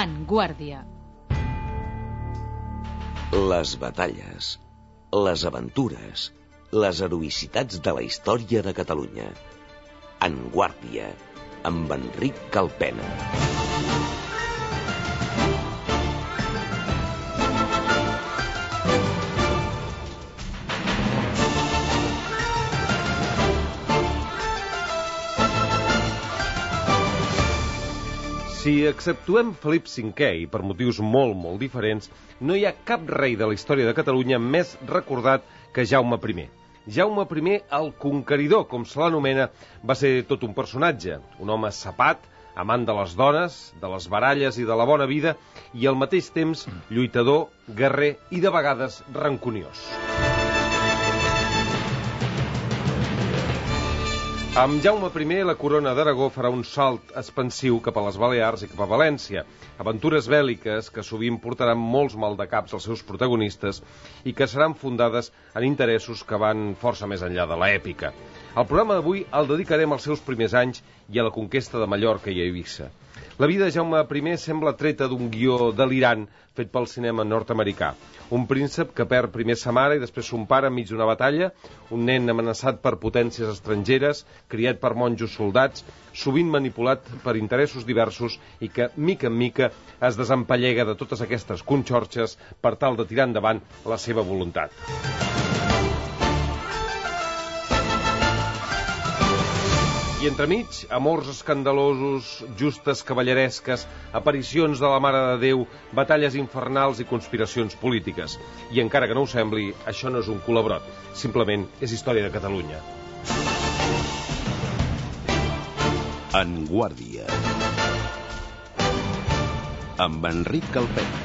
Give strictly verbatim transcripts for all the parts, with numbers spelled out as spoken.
En Guàrdia. Les batalles, les aventures, les heroïcitats de la història de Catalunya. En Guàrdia, amb Enric Calpena. Si exceptuem Felip cinquè, i per motius molt, molt diferents, no hi ha cap rei de la història de Catalunya més recordat que Jaume primer. Jaume primer, el Conqueridor, com se l'anomena, va ser tot un personatge, un home sapat, amant de les dones, de les baralles i de la bona vida, i al mateix temps lluitador, guerrer i de vegades rancuniós. Amb Jaume primer, la corona d'Aragó farà un salt expansiu cap a les Balears i cap a València. Aventures bèl·liques que sovint portaran molts maldecaps als seus protagonistes i que seran fundades en interessos que van força més enllà de l'èpica. El programa d'avui el dedicarem als seus primers anys i a la conquesta de Mallorca i Eivissa. La vida de Jaume primer sembla treta d'un guió delirant fet pel cinema nord-americà. Un príncep que perd primer sa mare i després son pare enmig d'una batalla, un nen amenaçat per potències estrangeres, criat per monjos soldats, sovint manipulat per interessos diversos i que, mica en mica, es desempallega de totes aquestes conxorxes per tal de tirar endavant la seva voluntat. I entremig, amors escandalosos, justes cavalleresques, aparicions de la Mare de Déu, batalles infernals i conspiracions polítiques. I encara que no ho sembli, això no és un culabrot, simplement és història de Catalunya. En Guàrdia, amb Enric Calpena.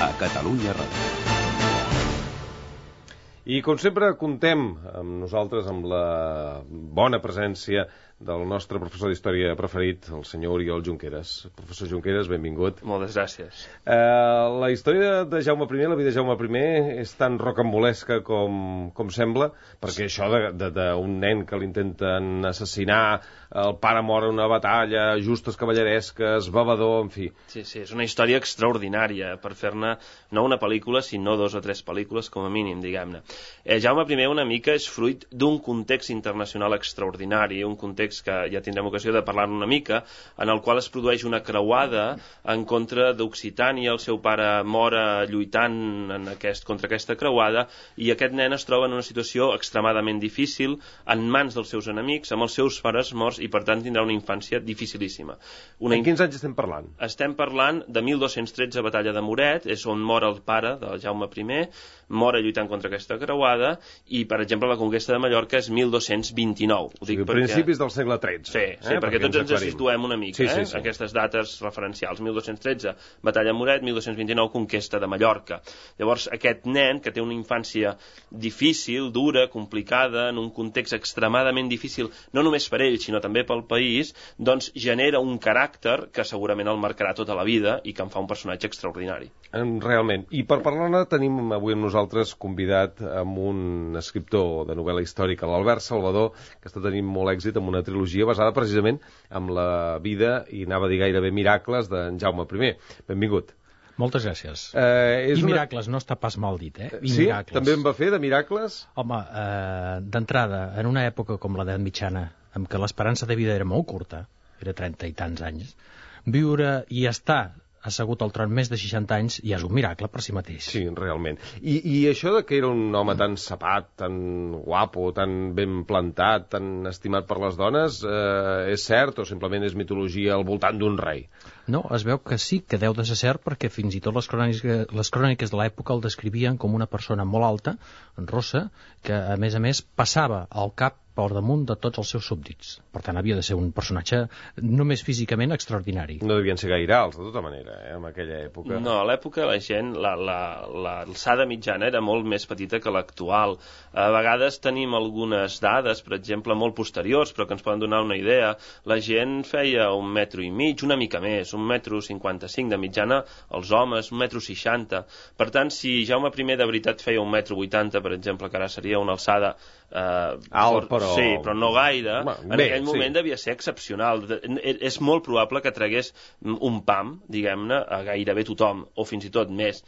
A Catalunya Ràdio. I com sempre contem amb nosaltres amb la bona presència del nostre professor d'història preferit, el senyor Oriol Junqueras. Professor Junqueras, benvingut. Moltes gràcies. Eh, la història de Jaume primer, la vida de Jaume primer, és tan rocambolesca com, com sembla, perquè això d'un nen que l'intenten assassinar, el pare mor en una batalla, justes cavalleresques, bevedor, en fi. Sí, sí, és una història extraordinària per fer-ne no una pel·lícula, sinó dos o tres pel·lícules com a mínim, diguem-ne. Eh, Jaume primer una mica és fruit d'un context internacional extraordinari, un context que ja tindrem ocasió de parlar una mica, en el qual es produeix una creuada en contra d'Occitània, el seu pare mor lluitant en aquest, contra aquesta creuada, i aquest nen es troba en una situació extremadament difícil, en mans dels seus enemics, amb els seus pares morts, i per tant tindrà una infància dificilíssima. Una En quins anys estem parlant? Estem parlant de mil dos-cents tretze, batalla de Moret, és on mor el pare de Jaume primer, mor lluitant contra aquesta creuada, i, per exemple, la conquesta de Mallorca és mil dos-cents vint-i-nou. Ho dic o sigui, perquè... principis del segle tretze. Sí, sí, eh? perquè, perquè tots ens, ens situem una mica, sí, sí, eh? sí. Aquestes dates referencials. mil dos-cents tretze, batalla de Moret, mil dos-cents vint-i-nou, conquesta de Mallorca. Llavors, aquest nen, que té una infància difícil, dura, complicada, en un context extremadament difícil, no només per ell, sinó també pel país, doncs genera un caràcter que segurament el marcarà tota la vida i que en fa un personatge extraordinari. Realment. I per parlar-ne tenim avui amb nosaltres convidat amb un escriptor de novel·la històrica, l'Albert Salvador, que està tenint molt èxit amb una trilogia basada precisament en la vida, i anava a dir gairebé miracles, d'en Jaume primer. Benvingut. Moltes gràcies. Eh, I una... miracles no està pas mal dit, eh? I sí? Miracles. També en va fer, de miracles? Home, eh, d'entrada, en una època com l'edat mitjana, en què l'esperança de vida era molt curta, era trenta i tants anys, viure i estar assegut al tron més de seixanta anys ja és un miracle per si mateix. Sí, realment. I, i això de que era un home tan sapat, tan guapo, tan ben plantat, tan estimat per les dones, eh, és cert o simplement és mitologia al voltant d'un rei? No, es veu que sí, que deu de ser cert, perquè fins i tot les cròniques, les cròniques de l'època el descrivien com una persona molt alta, rossa, que a més a més passava al cap per damunt de tots els seus súbdits. Per tant, havia de ser un personatge només físicament extraordinari. No devien ser gaire alts, de tota manera, eh, en aquella època. No, a l'època la gent, l'alçada mitjana era molt més petita que l'actual. A vegades tenim algunes dades, per exemple, molt posteriors, però que ens poden donar una idea. La gent feia un metro i mig, una mica més, un metro cinquanta-cinc de mitjana, els homes, un metro seixanta. Per tant, si Jaume primer de veritat feia un metro vuitanta, per exemple, que ara seria una alçada... Eh, alt per però... Sí, però no gaire. Bé, en aquell moment sí. devia ser excepcional. És molt probable que tragués un pam, diguem-ne, a gairebé tothom, o fins i tot més.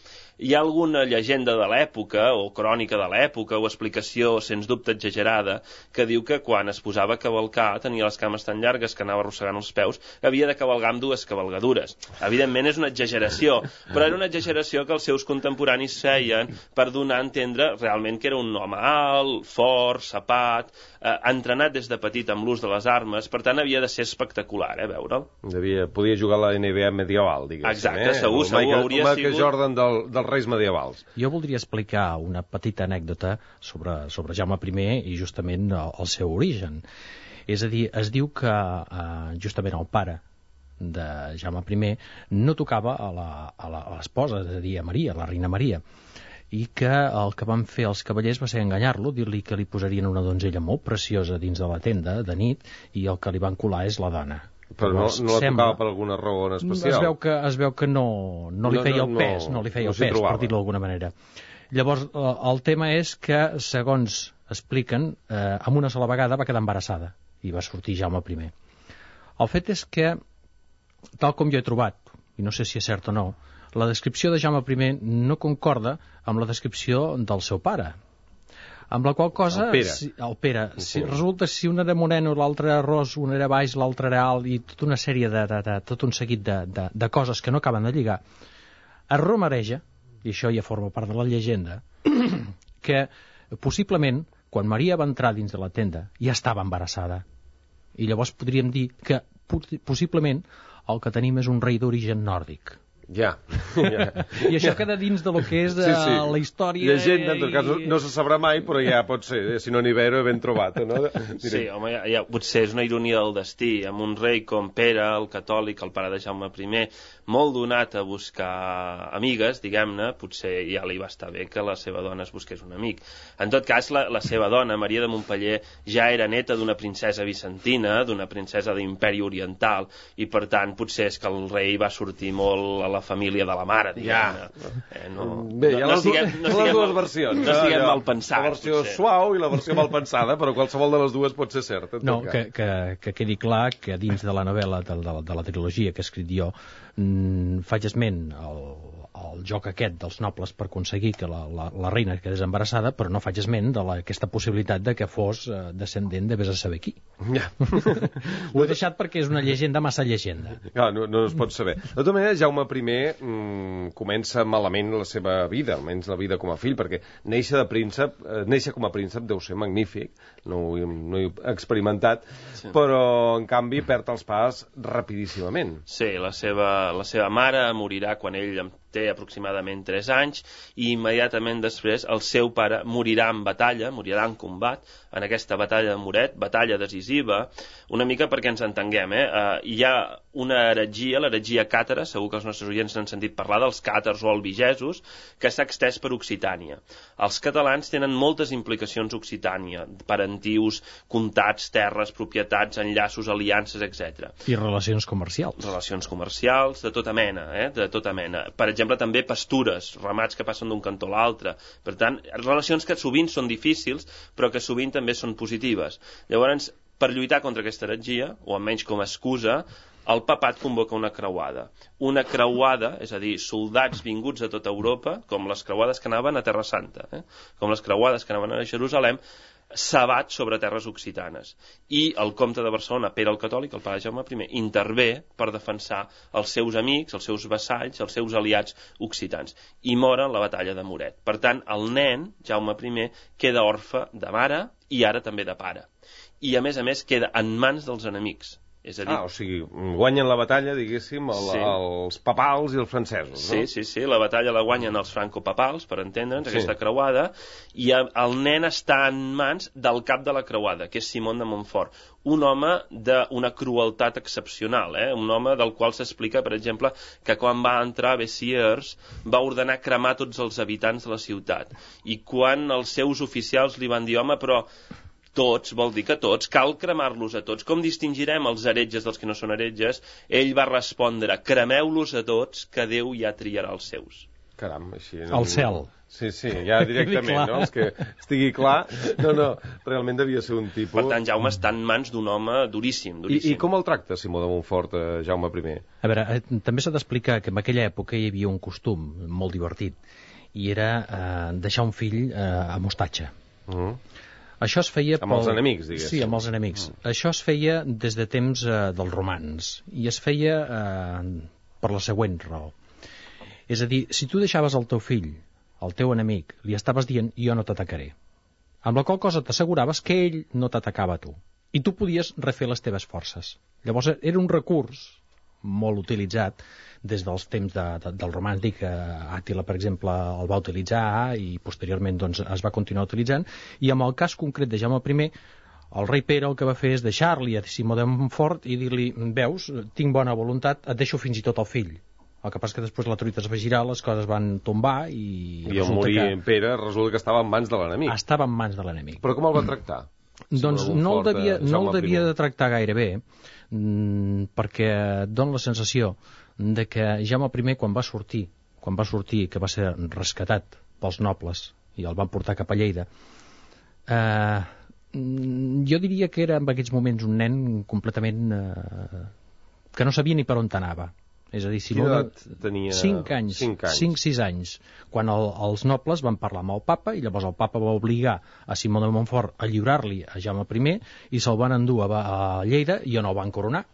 Hi ha alguna llegenda de l'època, o crònica de l'època, o explicació, sens dubte exagerada, que diu que quan es posava a cavalcar tenia les cames tan llargues que anava arrossegant els peus, havia de cavalgar amb dues cavalgadures. Evidentment és una exageració, però era una exageració que els seus contemporanis feien per donar a entendre realment que era un home alt, fort, sapat, eh, entrenat des de petit amb l'ús de les armes, per tant havia de ser espectacular, eh, veure'l. Devia, podia jugar a la N B A medieval, diguéssim. Exacte, eh? segur, El segur, Michael, hauria Michael sigut... Jordan del, dels reis medievals. Jo voldria explicar una petita anècdota sobre, sobre Jaume I i justament el, el seu origen. És a dir, es diu que eh, justament el pare de Jaume I no tocava a l'esposa, és a dir, a Maria, la reina Maria, i que el que van fer els cavallers va ser enganyar-lo, dir-li que li posarien una donzella molt preciosa dins de la tenda de nit i el que li van colar és la dona. Però no, no la sembla, tocava per alguna raó en especial. Es veu que, es veu que no, no li feia no, no, el pes, no, no li feia no el pes, per dir-ho d'alguna manera. Llavors, el tema és que, segons expliquen, eh, amb una sola vegada va quedar embarassada i va sortir Jaume I. El fet és que, tal com jo he trobat, i no sé si és cert o no, la descripció de Jaume I no concorda amb la descripció del seu pare. Amb la qual cosa... El Pere. Si, el Pere. Si, resulta si un era moreno, l'altre era ros, un era baix, l'altre era alt, i tota una sèrie de... de, de tot un seguit de, de, de coses que no acaben de lligar, es rumoreja, i això ja forma part de la llegenda, que possiblement, quan Maria va entrar dins de la tenda, ja estava embarassada. I llavors podríem dir que possiblement el que tenim és un rei d'origen nòrdic. Ja. ja. I això queda dins de lo que és de sí, sí. la història... Llegenda, en tot cas, no, no se sabrà mai, però ja pot ser, si no n'hi ve, ben trobat, no? Sí, home, ja, ja, potser és una ironia del destí, amb un rei com Pere, el catòlic, el pare de Jaume I, molt donat a buscar amigues, diguem-ne, potser ja li va estar bé que la seva dona es busqués un amic. En tot cas, la, la seva dona, Maria de Montpeller, ja era neta d'una princesa bizantina, d'una princesa d'imperi oriental, i per tant, potser és que el rei va sortir molt a la família de la mare, diguem-ne. Ja. Eh, no, Bé, hi ha no, les, no siguem, no les siguem, dues versions. No siguem no, mal pensats. La versió potser. suau i la versió mal pensada, però qualsevol de les dues pot ser certa. No, que, que, que quedi clar que dins de la novel·la, de, de, de la trilogia que he escrit jo, mmm, faig esment al, al joc aquest dels nobles per aconseguir que la, la, la reina quedés embarassada, però no faig esment de la, aquesta possibilitat de que fos eh, descendent de vés a saber qui. Ja. Ho he deixat perquè és una llegenda massa llegenda. Ah, no, no es pot saber. De tota manera, Jaume I mmm, comença malament la seva vida, almenys la vida com a fill, perquè néixer de príncep, eh, néixer com a príncep deu ser magnífic, no ho, no ho he experimentat, sí. Però en canvi perd els pas rapidíssimament. Sí, la seva, la seva mare morirà quan ell té aproximadament tres anys i immediatament després el seu pare morirà en batalla, morirà en combat, en aquesta batalla de Muret, batalla decisiva, una mica perquè ens entenguem, eh? Uh, hi ha una heretgia, l'heretgia càtara, segur que els nostres oients n'han sentit parlar dels càtars o albigesos, que s'ha extès per Occitània. Els catalans tenen moltes implicacions a Occitània, parentius, comtats, terres, propietats, enllaços, aliances, etcètera. I relacions comercials. Relacions comercials, de tota mena, eh? De tota mena. Per exemple, també pastures, ramats que passen d'un cantó a l'altre. Per tant, relacions que sovint són difícils, però que sovint també són positives. Llavors, per lluitar contra aquesta heretgia, o almenys com a excusa, el papat convoca una creuada. Una creuada, és a dir, soldats vinguts de tota Europa, com les creuades que anaven a Terra Santa, eh? com les creuades que anaven a Jerusalem, sabat sobre terres occitanes. I el comte de Barcelona, Pere el Catòlic, el pare Jaume I, intervé per defensar els seus amics, els seus vassalls, els seus aliats occitans. I mor en la batalla de Muret. Per tant, el nen, Jaume I, queda orfe de mare i ara també de pare. I, a més a més, queda en mans dels enemics. És a dir... Ah, o sigui, guanyen la batalla, diguéssim, el, sí. els papals i els francesos, sí, no? Sí, sí, la batalla la guanyen els francopapals, per entendre'ns, sí. aquesta creuada, i el nen està en mans del cap de la creuada, que és Simón de Montfort, un home d'una crueltat excepcional, eh? Un home del qual s'explica, per exemple, que quan va entrar a Bessiers va ordenar cremar tots els habitants de la ciutat, i quan els seus oficials li van dir, home, però tots, vol dir que tots, cal cremar-los a tots. Com distingirem els heretges dels que no són heretges? Ell va respondre, cremeu-los a tots, que Déu ja triarà els seus. Caram, així... No... El cel. Sí, sí, ja directament, no? És que estigui clar. No, no, realment devia ser un tipus... Per tant, Jaume està en mans d'un home duríssim, duríssim. I, I com el tracta Simó de Montfort, eh, Jaume I? A veure, eh, també s'ha d'explicar que en aquella època hi havia un costum molt divertit, i era eh, deixar un fill eh, a mostatge. Uh-huh. Això es feia... Amb pel... els enemics, diguéssim. Sí, amb els enemics. Uh-huh. Això es feia des de temps eh, dels romans, i es feia eh, per la següent raó. És a dir, si tu deixaves el teu fill, el teu enemic, li estaves dient jo no t'atacaré. Amb la qual cosa t'asseguraves que ell no t'atacava a tu. I tu podies refer les teves forces. Llavors era un recurs molt utilitzat des dels temps de, de, del romans. Dic que Àtila, per exemple, el va utilitzar i posteriorment doncs, es va continuar utilitzant. I en el cas concret de Jaume I, el rei Pere el que va fer és deixar-li a Simó de Montfort i dir-li, veus, tinc bona voluntat, et deixo fins i tot el fill. El que passa que després la truita es va girar, les coses van tombar i... I al morir que... Pere resulta que estava en mans de l'enemic. Estava en mans de l'enemic. Però com el va tractar? Mm. Doncs no el devia, no el devia de tractar gaire bé, mm, perquè dona la sensació de que Jaume I, quan va sortir, quan va sortir, que va ser rescatat pels nobles i el van portar cap a Lleida, eh, jo diria que era en aquests moments un nen completament... Eh, que no sabia ni per on anava. És a dir, si Quina edat tenia? cinc anys, cinc sis anys, quan el, els nobles van parlar amb el papa, i llavors el papa va obligar a Simó de Montfort a lliurar-li a Jaume I, i se'l van endur a, a Lleida i on el van coronar.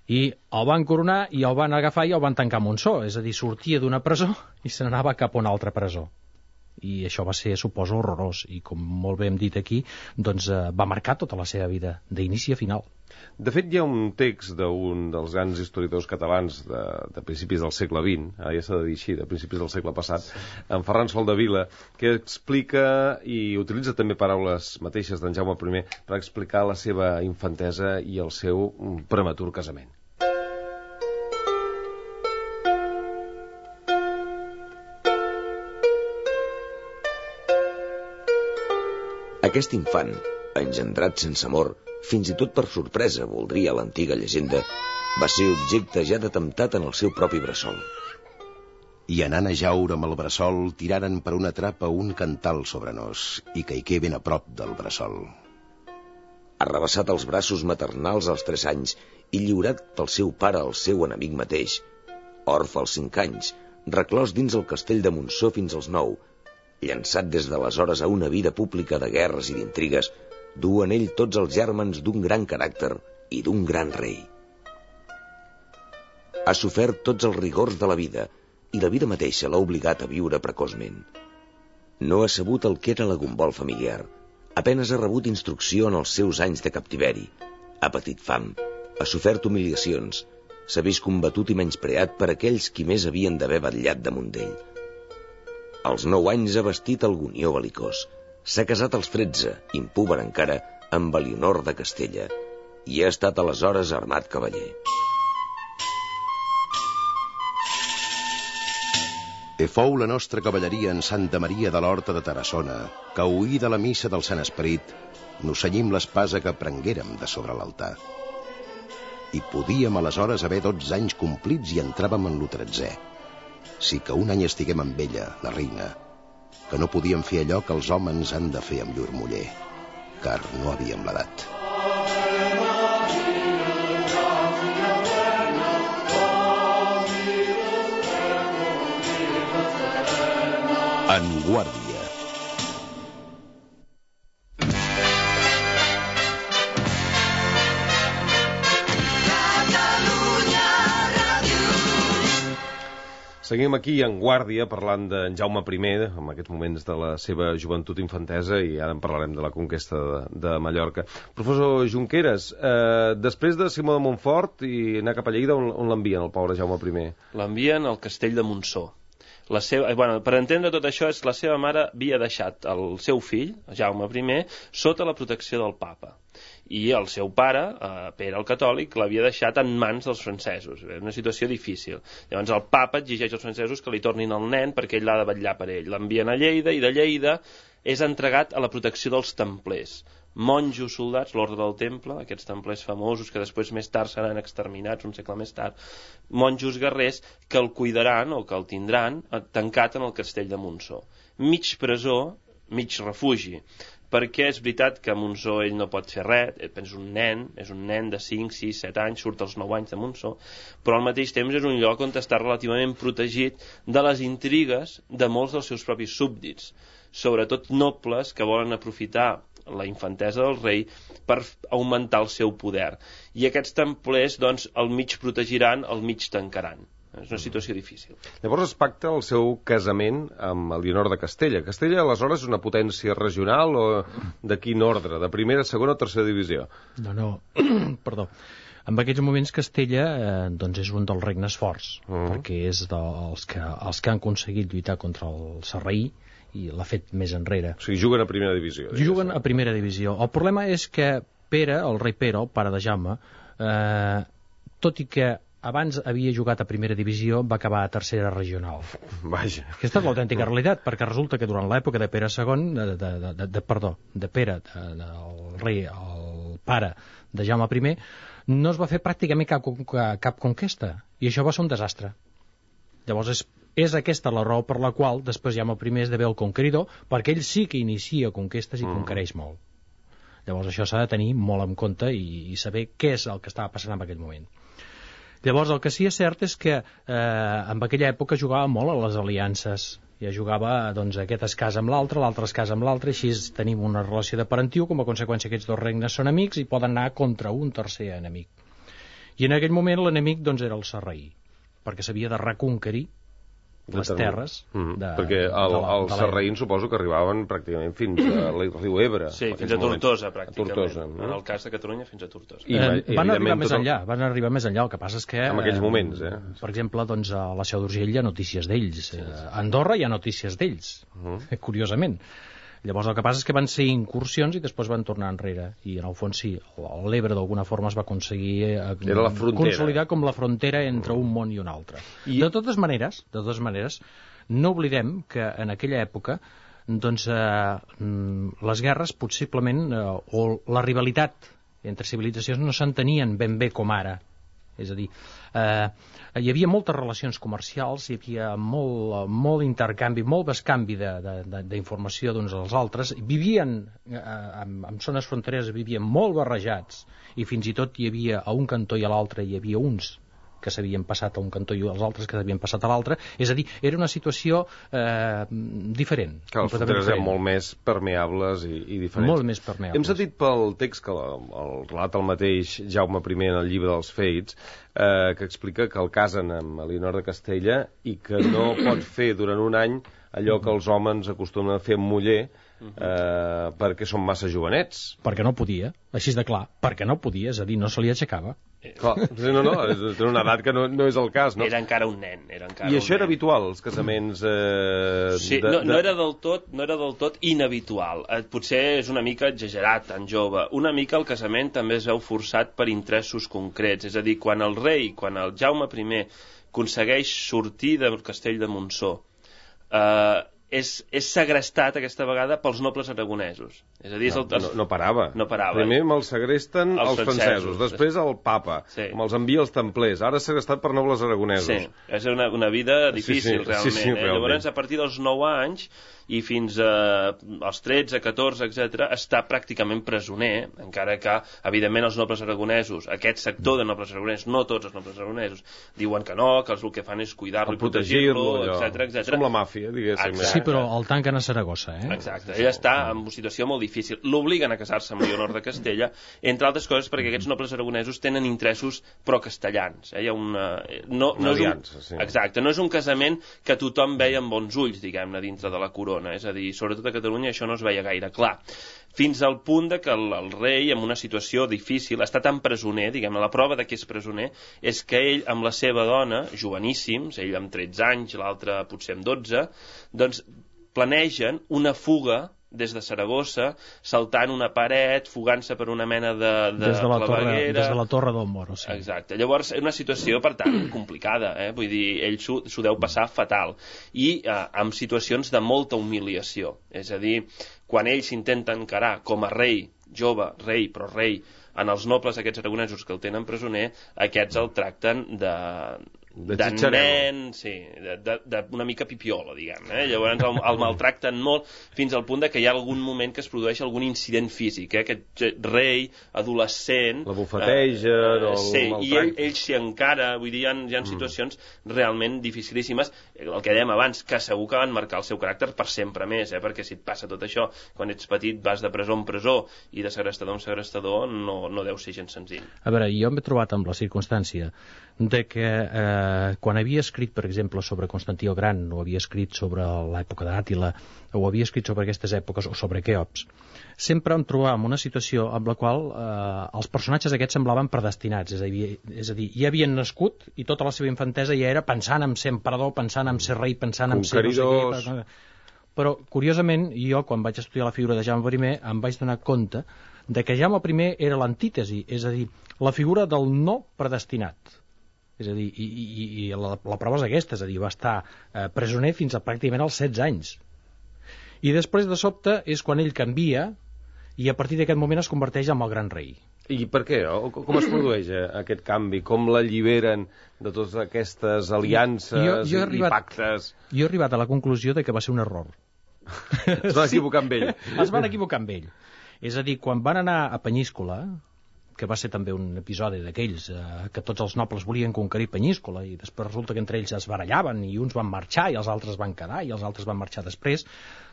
I el van coronar i el van agafar i el van tancar a Montsó, és a dir, sortia d'una presó i se n'anava cap a una altra presó. I això va ser, suposo, horrorós, i com molt bé hem dit aquí, doncs eh, va marcar tota la seva vida, d'inici a final. De fet, hi ha un text d'un dels grans historiadors catalans de, de principis del segle vint, ara ja s'ha de dir així, de principis del segle passat, en Ferran Soldevila, que explica i utilitza també paraules mateixes d'en Jaume I per explicar la seva infantesa i el seu prematur casament. Aquest infant, engendrat sense amor, fins i tot per sorpresa, voldria l'antiga llegenda, va ser objecte ja de temptat en el seu propi bressol. I anant a jaure amb el bressol, tiraren per una trapa un cantal sobre nos, i caigué ben a prop del bressol. Arrabassat als braços maternals als tres anys i lliurat pel seu pare al seu enemic mateix, orfe als cinc anys, reclòs dins el castell de Montsó fins als nou, llançat des d'aleshores a una vida pública de guerres i d'intrigues, du en ell tots els gèrmens d'un gran caràcter i d'un gran rei. Ha sofert tots els rigors de la vida, i la vida mateixa l'ha obligat a viure precoçment. No ha sabut el que era la gombol familiar, apenes ha rebut instrucció en els seus anys de captiveri, ha patit fam, ha sofert humiliacions, s'ha vist combatut i menyspreat per aquells qui més havien d'haver vetllat damunt d'ell. Als nou anys ha vestit el gonió belicós, s'ha casat als tretze, impúber encara, amb Elionor de Castella, i ha estat aleshores armat cavaller. E fou la nostra cavalleria en Santa Maria de l'Horta de Tarassona, que oïda la missa del Sant Esperit, nos cenyim l'espasa que prenguérem de sobre l'altar. I podíem aleshores haver dotze anys complits i entràvem en lo tretzè. Sí que un any estiguem amb ella, la reina, que no podíem fer allò que els homes han de fer amb llur muller, car no havíem l'edat. En guàrdia. Seguim aquí en Guàrdia parlant d'en Jaume I, en aquests moments de la seva joventut infantesa, i ara en parlarem de la conquesta de, de Mallorca. Professor Junqueras, eh, després de Simó de Montfort i anar cap a Lleida, on, on l'envien el pobre Jaume I? L'envien al castell de Montsó. La seva, bueno, per entendre tot això, és la seva mare havia deixat el seu fill, Jaume I, sota la protecció del papa. I el seu pare, eh, Pere el Catòlic, l'havia deixat en mans dels francesos. Era una situació difícil. Llavors el papa exigeix als francesos que li tornin el nen perquè ell l'ha de vetllar per ell. L'envien a Lleida i de Lleida és entregat a la protecció dels templers. monjos soldats, l'ordre del temple, aquests templers famosos que després més tard seran exterminats un segle més tard, monjos guerrers que el cuidaran o que el tindran tancat en el castell de Montsó. Mig presó, mig refugi, perquè és veritat que a Montsó ell no pot fer res, és un nen, és un nen de cinc, sis, set anys, surt als nou anys de Montsó, però al mateix temps és un lloc on està relativament protegit de les intrigues de molts dels seus propis súbdits, sobretot nobles que volen aprofitar la infantesa del rei per augmentar el seu poder. I aquests templers, doncs, el mig protegiran, el mig tancaran. És una situació difícil. Llavors es pacta el seu casament amb Elionor de Castella. Castella, aleshores, és una potència regional o de quin ordre? De primera, segona o tercera divisió? No, no, perdó. En aquests moments Castella eh, doncs és un dels regnes forts, uh-huh. perquè és dels que, els que han aconseguit lluitar contra el sarraí i l'ha fet més enrere. O sigui, juguen a primera divisió. Juguen a primera divisió. El problema és que Pere, el rei Pere, el pare de Jaume, eh, tot i que abans havia jugat a primera divisió, va acabar a tercera regional. Vaja. Aquesta és l'autèntica realitat, perquè resulta que durant l'època de Pere segon, de, de, de, de, perdó, de Pere, de, de, el rei, el pare de Jaume primer, no es va fer pràcticament cap, cap conquesta, i això va ser un desastre. Llavors és, és aquesta la raó per la qual després Jaume primer esdevé el conqueridor, perquè ell sí que inicia conquestes i mm. conquereix molt. Llavors això s'ha de tenir molt en compte i, i saber què és el que estava passant en aquell moment. Llavors, el que sí és cert és que eh, en aquella època jugava molt a les aliances. Ja jugava, doncs, aquest es casa amb l'altre, l'altre es casa amb l'altre, així tenim una relació de parentiu, com a conseqüència aquests dos regnes són amics i poden anar contra un tercer enemic. I en aquell moment l'enemic, doncs, era el sarraí, perquè s'havia de reconquerir les terres mm-hmm. de, perquè el, de la, els de sarraïns suposo que arribaven pràcticament fins al riu Ebre. Sí, fins a Tortosa, pràcticament. A Tortosa, no? En el cas de Catalunya, fins a Tortosa. I, eh, van arribar més enllà, van arribar més enllà. El que passa és que... En aquells moments, eh? Per exemple, doncs, a la Seu d'Urgell hi ha notícies d'ells. Sí, sí. A Andorra hi ha notícies d'ells, uh-huh. curiosament. Llavors el que passa és que van ser incursions i després van tornar enrere. I en el fons sí, l'Ebre d'alguna forma es va aconseguir eh, consolidar com la frontera entre un món i un altre. I... De totes maneres, de totes maneres, no oblidem que en aquella època doncs, eh, les guerres possiblement eh, o la rivalitat entre civilitzacions no s'entenien ben bé com ara. És a dir, eh, hi havia moltes relacions comercials, hi havia molt, molt intercanvi, molt bescanvi d'informació d'uns als altres, vivien eh, en, en zones frontereres, vivien molt barrejats, i fins i tot hi havia a un cantó i a l'altre hi havia uns que s'havien passat a un cantó i els altres que s'havien passat a l'altre, és a dir, era una situació eh, diferent. Que les fronteres eren molt més permeables i, i diferents. Molt més permeables. Hem sentit pel text que la, el relata el mateix Jaume primer en el llibre dels Feits, eh, que explica que el casen amb Elionor de Castella i que no pot fer durant un any allò que els homes acostumen a fer amb muller, eh, perquè són massa jovenets. Perquè no podia, així de clar, perquè no podia, és a dir, no se li aixecava. Clar, no, no, és una edat que no, no és el cas, no? Era encara un nen. Era encara I això un era nen. habitual, els casaments... Eh, sí, de, no, de... no, era del tot, no era del tot inhabitual. Eh, potser és una mica exagerat, tan jove. Una mica el casament també es veu forçat per interessos concrets. És a dir, quan el rei, quan el Jaume primer aconsegueix sortir del castell de Montsó, eh, és, és segrestat aquesta vegada pels nobles aragonesos. És a dir, és el, no, no, no parava. No parava. Primer me'ls segresten els, els francesos, francesos, després el papa, sí. me'ls envia els templers, ara segrestat per nobles aragonesos. Sí, és una, una vida difícil, sí, sí, realment. Sí, sí, eh? realment. Llavors, a partir dels nou anys i fins a, als tretze, catorze, etcètera, està pràcticament presoner, encara que, evidentment, els nobles aragonesos, aquest sector de nobles aragonesos, no tots els nobles aragonesos, diuen que no, que el que fan és cuidar-lo i protegir-lo, etcètera, etcètera. És com la màfia, diguéssim. Exacte. Sí, però el tanquen a Saragossa, eh? Exacte. Ell està en una situació molt difícil. L'obliguen a casar-se amb Elionor de Castella, entre altres coses perquè aquests nobles aragonesos tenen interessos pro-castellans. Eh? Hi ha una... No, no una és un... aliança, sí. Exacte. No és un casament que tothom veia amb bons ulls, diguem-ne, dintre de la corona. És a dir, sobretot a Catalunya això no es veia gaire clar. Fins al punt de que el, el rei, en una situació difícil, està tan presoner, diguem-ne, la prova de que és presoner és que ell, amb la seva dona, joveníssims, ell amb tretze anys, l'altre potser amb dotze, doncs planegen una fuga des de Saragossa, saltant una paret, fugant-se per una mena de, de des de la claveguera... Torre, des de la Torre del Moro, sí. Exacte. Llavors, és una situació, per tant, complicada, eh? Vull dir, ell s'ho deu passar fatal. I eh, amb situacions de molta humiliació. És a dir, quan ell s'intenta encarar com a rei jove, rei, però rei, en els nobles aquests aragonesos que el tenen presoner, aquests el tracten de... de, de nen, sí, d'una mica pipiola, diguem, eh? Llavors el, el maltracten molt fins al punt de que hi ha algun moment que es produeix algun incident físic, eh? Aquest rei adolescent la bufetegen eh, o sí, el i ell, ell s'hi encara, vull dir, hi ha, hi ha situacions mm. realment dificilíssimes, el que dèiem abans, que segur que van marcar el seu caràcter per sempre més, eh? Perquè si et passa tot això quan ets petit, vas de presó en presó i de segrestador en segrestador, no, no deu ser gens senzill. A veure, jo m'he trobat amb la circumstància de que eh, quan havia escrit, per exemple, sobre Constantí el Gran, o havia escrit sobre l'època d'Àtila, o havia escrit sobre aquestes èpoques, o sobre Queops, sempre em trobava en una situació amb la qual eh, els personatges aquests semblaven predestinats, és a dir, és a dir, ja havien nascut i tota la seva infantesa ja era pensant en ser emperador, pensant en ser rei, pensant en ser no sé què, però curiosament jo quan vaig estudiar la figura de Jaume primer em vaig donar compte de que Jaume primer era l'antítesi, és a dir, la figura del no predestinat. És a dir, i, i, i la, la prova és aquesta, és a dir, va estar eh, presoner fins a pràcticament als setze anys. I després, de sobte, és quan ell canvia i a partir d'aquest moment es converteix en el gran rei. I per què? Com es produeix eh, aquest canvi? Com l'alliberen de totes aquestes aliances jo, jo i, arribat, i pactes? Jo he arribat a la conclusió de que va ser un error. Es van equivocar amb ell. Es van equivocar amb ell. És a dir, quan van anar a Penyíscola, que va ser també un episodi d'aquells eh, que tots els nobles volien conquerir Penyíscola i després resulta que entre ells es barallaven i uns van marxar i els altres van quedar i els altres van marxar després,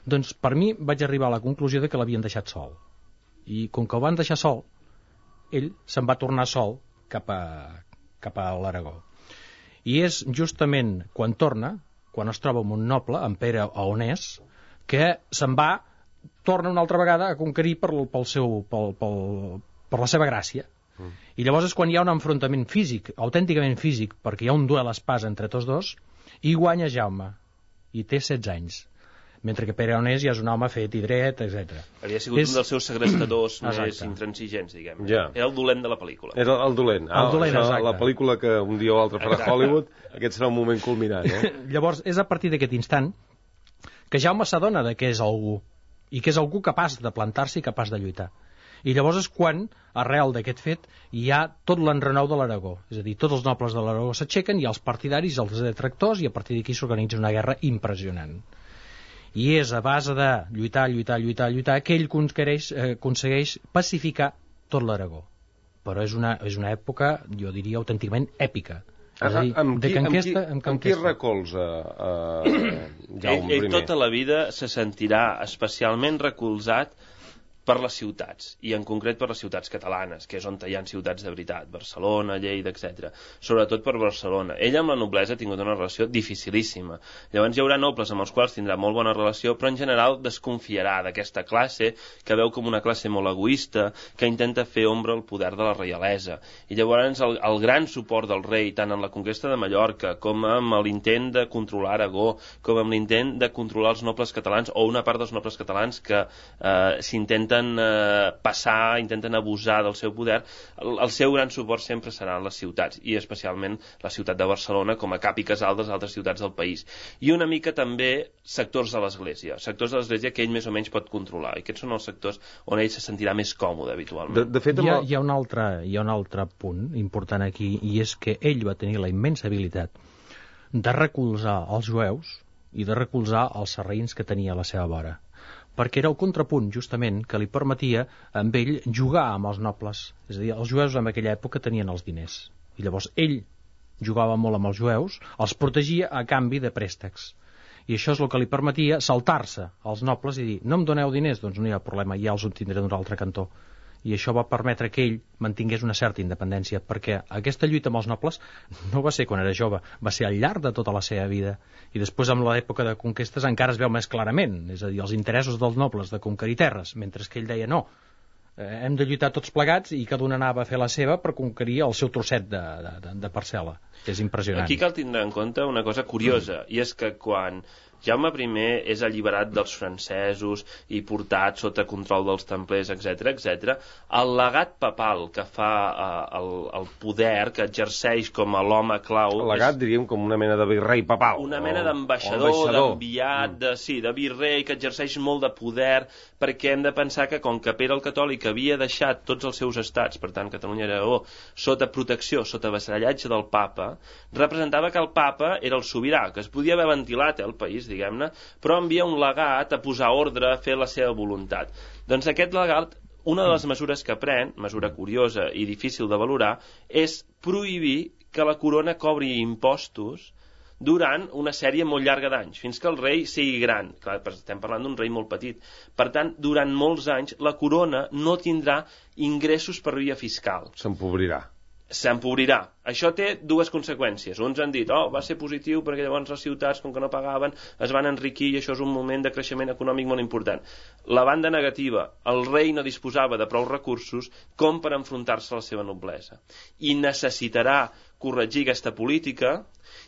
doncs per mi vaig arribar a la conclusió de que l'havien deixat sol. I com que el van deixar sol, ell se'n va tornar sol cap a, cap a l'Aragó. I és justament quan torna, quan es troba amb un noble, en Pere Aonès, que se'n va, torna una altra vegada a conquerir per, pel seu... Pel, pel, per la seva gràcia. Mm. I llavors és quan hi ha un enfrontament físic, autènticament físic, perquè hi ha un duel a espasa entre tots dos, i guanya Jaume, i té setze anys, mentre que Pere Aonès ja és un home fet i dret, etcètera. Havia sigut és... un dels seus segrestadors més intransigents, diguem. Ja. Era el dolent de la pel·lícula. Era el dolent. Ah, el dolent, això, la pel·lícula que un dia o altre farà Hollywood, aquest serà un moment culminant, eh? Llavors, és a partir d'aquest instant que Jaume s'adona de que és algú, i que és algú capaç de plantar-se i capaç de lluitar. I llavors és quan, arrel d'aquest fet, hi ha tot l'enrenou de l'Aragó. És a dir, tots els nobles de l'Aragó s'aixequen, hi ha els partidaris, els detractors, i a partir d'aquí s'organitza una guerra impressionant. I és a base de lluitar, lluitar, lluitar, lluitar, que ell aconsegueix, eh, aconsegueix pacificar tot l'Aragó. Però és una, és una època, jo diria, autènticament èpica. És a dir, amb, de qui, conquesta, amb, qui, amb qui recolza uh, Jaume ell, ell tota la vida se sentirà especialment recolzat per les ciutats, i en concret per les ciutats catalanes, que és on hi ha ciutats de veritat, Barcelona, Lleida, etcètera. Sobretot per Barcelona. Ell amb la noblesa ha tingut una relació dificilíssima. Llavors hi haurà nobles amb els quals tindrà molt bona relació, però en general desconfiarà d'aquesta classe, que veu com una classe molt egoista, que intenta fer ombra al poder de la reialesa. I llavors el, el gran suport del rei, tant en la conquesta de Mallorca, com amb l'intent de controlar Aragó, com amb l'intent de controlar els nobles catalans, o una part dels nobles catalans que eh, s'intenten intenten eh, passar, intenten abusar del seu poder, el, el seu gran suport sempre serà en les ciutats, i especialment la ciutat de Barcelona com a cap i casal de les altres ciutats del país. I una mica també sectors de l'Església, sectors de l'Església que ell més o menys pot controlar, i aquests són els sectors on ell se sentirà més còmode habitualment. De, de fet, hi, ha, hi, ha un altre, hi ha un altre punt important aquí, i és que ell va tenir la immensa habilitat de recolzar els jueus i de recolzar els sarraïns que tenia a la seva vora, perquè era el contrapunt, justament, que li permetia amb ell jugar amb els nobles. És a dir, els jueus en aquella època tenien els diners, i llavors ell jugava molt amb els jueus, els protegia a canvi de préstecs, i això és el que li permetia saltar-se als nobles i dir, no em doneu diners, doncs no hi ha problema, ja els obtindré d'un altre cantó. I això va permetre que ell mantingués una certa independència, perquè aquesta lluita amb els nobles no va ser quan era jove, va ser al llarg de tota la seva vida, i després amb l'època de conquestes encara es veu més clarament, és a dir, els interessos dels nobles de conquerir terres, mentre que ell deia no, eh, hem de lluitar tots plegats i cada un anava a fer la seva per conquerir el seu trosset de, de, de parcel·la. És impressionant. Aquí cal tindre en compte una cosa curiosa, mm. i és que quan Jaume primer és alliberat dels francesos i portat sota control dels templers, etcètera, etcètera. El legat papal que fa eh, el, el poder, que exerceix com a l'home clau... El legat, és... diríem, com una mena de virrei papal. Una mena d'ambaixador, d'enviat, de, sí, de virrei, que exerceix molt de poder, perquè hem de pensar que com que Pere el Catòlic havia deixat tots els seus estats, per tant Catalunya i Aragó, sota protecció, sota vassallatge del papa, representava que el papa era el sobirà, que es podia haver ventilat eh, el país, diguem-ne, però envia un legat a posar ordre, a fer la seva voluntat. Doncs aquest legat, una de les mesures que pren, mesura curiosa i difícil de valorar, és prohibir que la corona cobri impostos durant una sèrie molt llarga d'anys, fins que el rei sigui gran. Clar, estem parlant d'un rei molt petit. Per tant, durant molts anys, la corona no tindrà ingressos per via fiscal. S'empobrirà. S'empobrirà. Això té dues conseqüències. Uns han dit, oh, va ser positiu perquè llavors les ciutats, com que no pagaven, es van enriquir i això és un moment de creixement econòmic molt important. La banda negativa, el rei no disposava de prou recursos com per enfrontar-se a la seva noblesa. I necessitarà corregir aquesta política,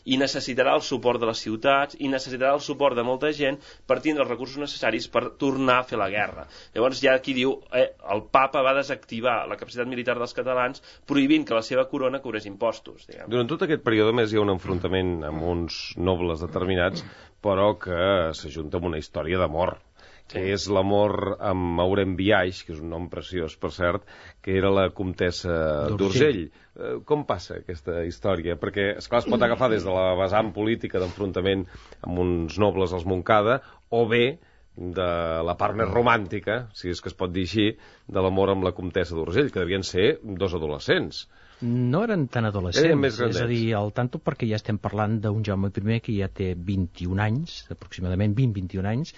i necessitarà el suport de les ciutats, i necessitarà el suport de molta gent per tindre els recursos necessaris per tornar a fer la guerra. Llavors hi ha qui diu, eh, el papa va desactivar la capacitat militar dels catalans prohibint que la seva corona cobrés impostos. Diguem. Durant tot aquest període més hi ha un enfrontament amb uns nobles determinats, però que s'ajunta amb una història d'amor. Sí. Que és l'amor amb Maurem Biaix, que és un nom preciós, per cert, que era la comtessa d'Urgell. Eh, com passa aquesta història? Perquè, esclar, es pot agafar des de la vessant política d'enfrontament amb uns nobles als Montcada, o bé de la part més romàntica, si és que es pot dir així, de l'amor amb la comtessa d'Urgell, que devien ser dos adolescents. No eren tan adolescents, és a dir, al tanto, perquè ja estem parlant d'un Jaume primer que ja té vint-i-un anys, aproximadament vint a vint-i-un anys,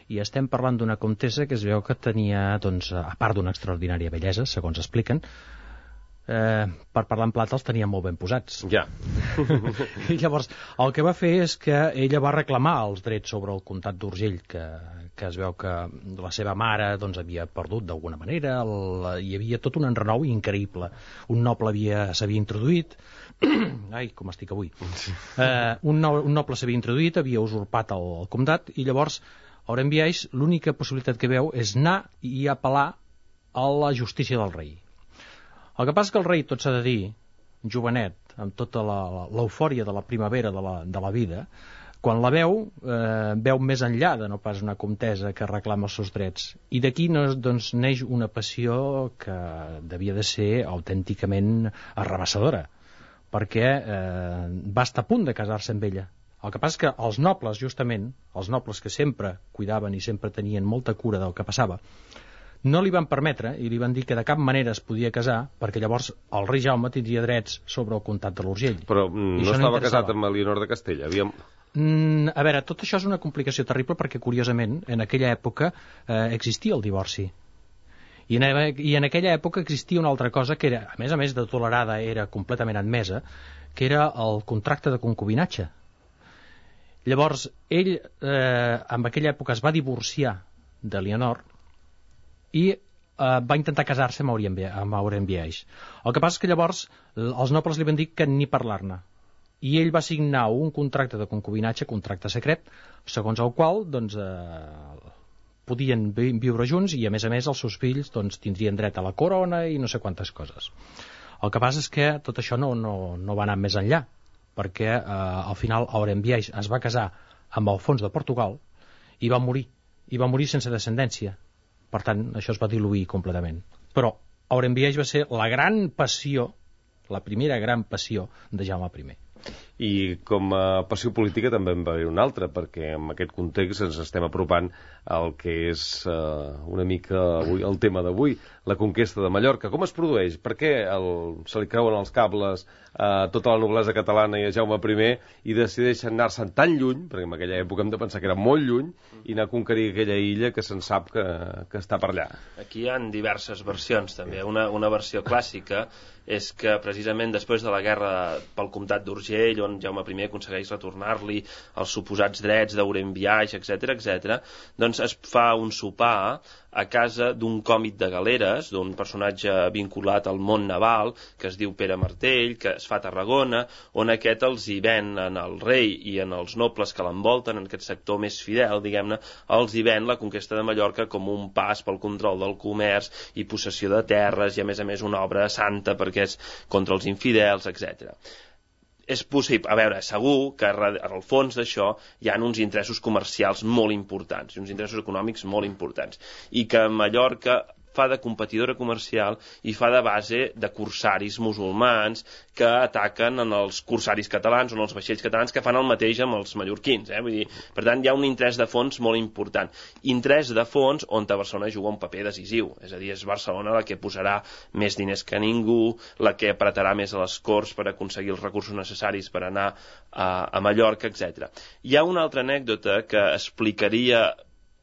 i estem parlant d'una comtessa que es veu que tenia, doncs, a part d'una extraordinària bellesa, segons expliquen, eh, per parlar en plata els tenia molt ben posats. Ja. I llavors, el que va fer és que ella va reclamar els drets sobre el comtat d'Urgell, que, que es veu que la seva mare doncs, havia perdut d'alguna manera, el, hi havia tot un enrenou increïble. Un noble s'havia introduït, ai, com estic avui, eh, un, no, un noble s'havia introduït, havia usurpat el, el comtat, i llavors Maurem Biaix l'única possibilitat que veu és anar i apel·lar a la justícia del rei. El que passa és que el rei, tot s'ha de dir, jovenet, amb tota l'eufòria de la primavera de la, de la vida, quan la veu, eh, veu més enllà de no pas una comtessa que reclama els seus drets. I d'aquí doncs, neix una passió que devia de ser autènticament arrabassadora, perquè eh, va estar a punt de casar-se amb ella. El que passa és que els nobles, justament, els nobles que sempre cuidaven i sempre tenien molta cura del que passava, no li van permetre i li van dir que de cap manera es podia casar, perquè llavors el rei Jaume tindria drets sobre el comtat de l'Urgell. Però mm, no estava no casat amb Elionor de Castella? Havíem... Mm, a veure, tot això és una complicació terrible perquè, curiosament, en aquella època eh, existia el divorci. I en, I en aquella època existia una altra cosa que era, a més a més de tolerada, era completament admesa, que era el contracte de concubinatge. Llavors, ell, eh, en aquella època, es va divorciar de Leonor i eh, va intentar casar-se amb Maurem Biaix. El que passa és que llavors els nobles li van dir que ni parlar-ne. I ell va signar un contracte de concubinatge, contracte secret, segons el qual doncs, eh, podien viure junts i, a més a més, els seus fills doncs, tindrien dret a la corona i no sé quantes coses. El que passa és que tot això no, no, no va anar més enllà, perquè eh, al final Maurem Biaix es va casar amb Alfons de Portugal i va morir, i va morir sense descendència. Per tant, això es va diluir completament. Però Maurem Biaix va ser la gran passió, la primera gran passió de Jaume primer. I com a passió política també en va haver una altra, perquè en aquest context ens estem apropant al que és uh, una mica avui, el tema d'avui, la conquesta de Mallorca. Com es produeix? Per què el, se li creuen els cables a tota la noblesa catalana i a Jaume primer i decideixen anar-se'n tan lluny, perquè en aquella època hem de pensar que era molt lluny, i anar a conquerir aquella illa que se'n sap que, que està per allà? Aquí hi ha diverses versions també. Una, una versió clàssica és que precisament després de la guerra pel comtat d'Urgell, on Jaume primer aconsegueix retornar-li els suposats drets d'Aurem Biaix, etcètera, etcètera, doncs es fa un sopar a casa d'un còmic de galeres, d'un personatge vinculat al món naval, que es diu Pere Martell, que es fa a Tarragona, on aquest els hi ven en el rei i en els nobles que l'envolten, en aquest sector més fidel, diguem-ne, els hi ven la conquesta de Mallorca com un pas pel control del comerç i possessió de terres, i a més a més una obra santa perquè és contra els infidels, etcètera. És possible, a veure, segur que al fons d'això hi ha uns interessos comercials molt importants, uns interessos econòmics molt importants, i que Mallorca fa de competidora comercial i fa de base de corsaris musulmans que ataquen en els corsaris catalans o en els vaixells catalans que fan el mateix amb els mallorquins. Eh? Vull dir, per tant, hi ha un interès de fons molt important. Interès de fons on a Barcelona juga un paper decisiu. És a dir, és Barcelona la que posarà més diners que ningú, la que apretarà més a les Corts per aconseguir els recursos necessaris per anar a, a Mallorca, etcètera. Hi ha una altra anècdota que explicaria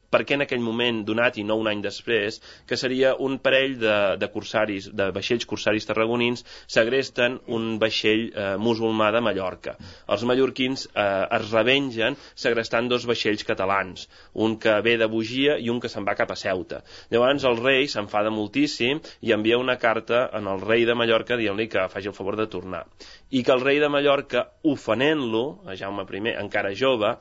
per què en aquell moment donat i no un any després, que seria un parell de, de corsaris, de vaixells corsaris tarragonins segresten un vaixell eh, musulmà de Mallorca. Els mallorquins eh, es revengen segrestant dos vaixells catalans, un que ve de Bugia i un que se'n va cap a Ceuta. Llavors el rei s'enfada moltíssim i envia una carta en el rei de Mallorca dient-li que faci el favor de tornar. I que el rei de Mallorca, ofenent-lo, a Jaume primer, encara jove,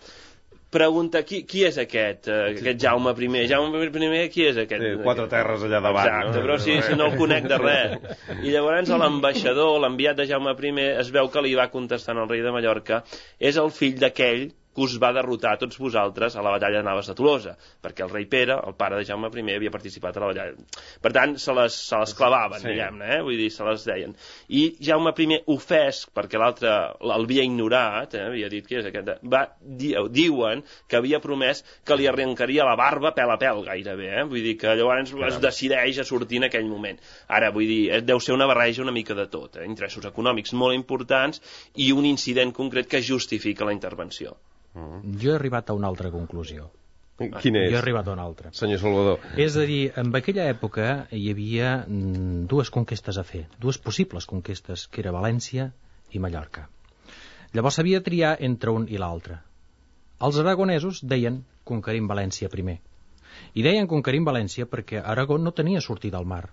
pregunta qui, qui és aquest, uh, aquest Jaume primer? Jaume primer, qui és aquest? Sí, quatre terres allà davant. Exacte, no? però si, si no el conec de res. I llavors l'ambaixador, l'enviat de Jaume primer, es veu que li va contestant al rei de Mallorca, és el fill d'aquell que us va derrotar a tots vosaltres a la batalla de Navas de Tolosa, perquè el rei Pere, el pare de Jaume primer, havia participat a la batalla. Per tant, se les, se les clavaven, sí. diguem-ne, eh? Vull dir, se les deien. I Jaume primer, ofès, perquè l'altre l'havia ignorat, eh? havia dit, qui és aquest? Va, di, diuen que havia promès que li arrencaria la barba pèl a pèl, gairebé, eh? Vull dir que llavors Caram. es decideix a sortir en aquell moment. Ara, vull dir, deu ser una barreja una mica de tot, eh? Interessos econòmics molt importants i un incident concret que justifica la intervenció. Jo he arribat a una altra conclusió. Quina és? Jo he arribat a una altra. Senyor Salvador. És a dir, en aquella època hi havia dues conquestes a fer, dues possibles conquestes, que era València i Mallorca. Llavors s'havia de triar entre un i l'altre. Els aragonesos deien conquerim València primer. I deien conquerim València perquè Aragó no tenia sortida al mar.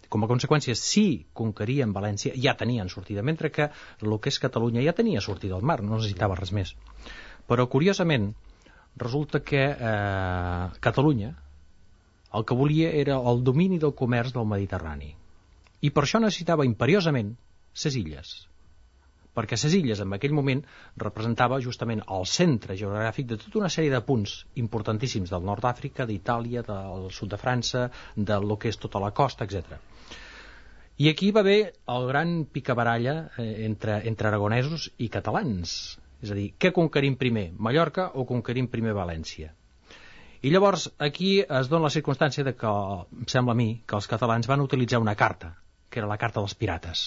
Com a conseqüència, si conquerien València, ja tenien sortida, mentre que el que és Catalunya ja tenia sortida al mar, no necessitava res més. Però, curiosament, resulta que eh, Catalunya el que volia era el domini del comerç del Mediterrani. I per això necessitava imperiosament ses illes. Perquè ses illes, en aquell moment, representava justament el centre geogràfic de tota una sèrie de punts importantíssims del nord d'Àfrica, d'Itàlia, del sud de França, del que és tota la costa, etcètera. I aquí va haver el gran picabaralla eh, entre, entre aragonesos i catalans. És a dir, què conquerim primer, Mallorca o conquerim primer València? I llavors aquí es dona la circumstància de que, em sembla a mi, que els catalans van utilitzar una carta, que era la carta dels pirates.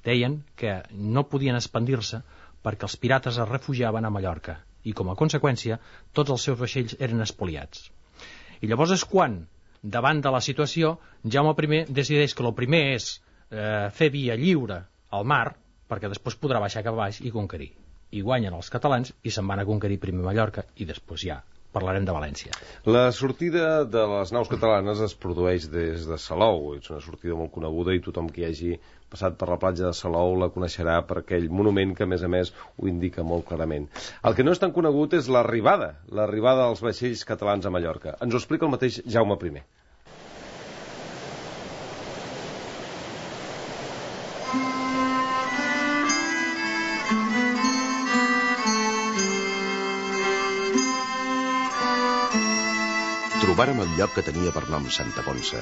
Deien que no podien expandir-se perquè els pirates es refugiaven a Mallorca i, com a conseqüència, tots els seus vaixells eren espoliats. I llavors és quan, davant de la situació, Jaume primer decideix que el primer és eh, fer via lliure al mar, perquè després podrà baixar cap a baix i conquerir. I guanyen els catalans i se'n van a conquerir primer Mallorca i després ja parlarem de València. La sortida de les naus catalanes es produeix des de Salou. És una sortida molt coneguda i tothom que hi hagi passat per la platja de Salou la coneixerà per aquell monument que, a més a més, ho indica molt clarament. El que no és tan conegut és l'arribada, l'arribada dels vaixells catalans a Mallorca. Ens ho explica el mateix Jaume primer. Trobàrem el lloc que tenia per nom Santa Ponça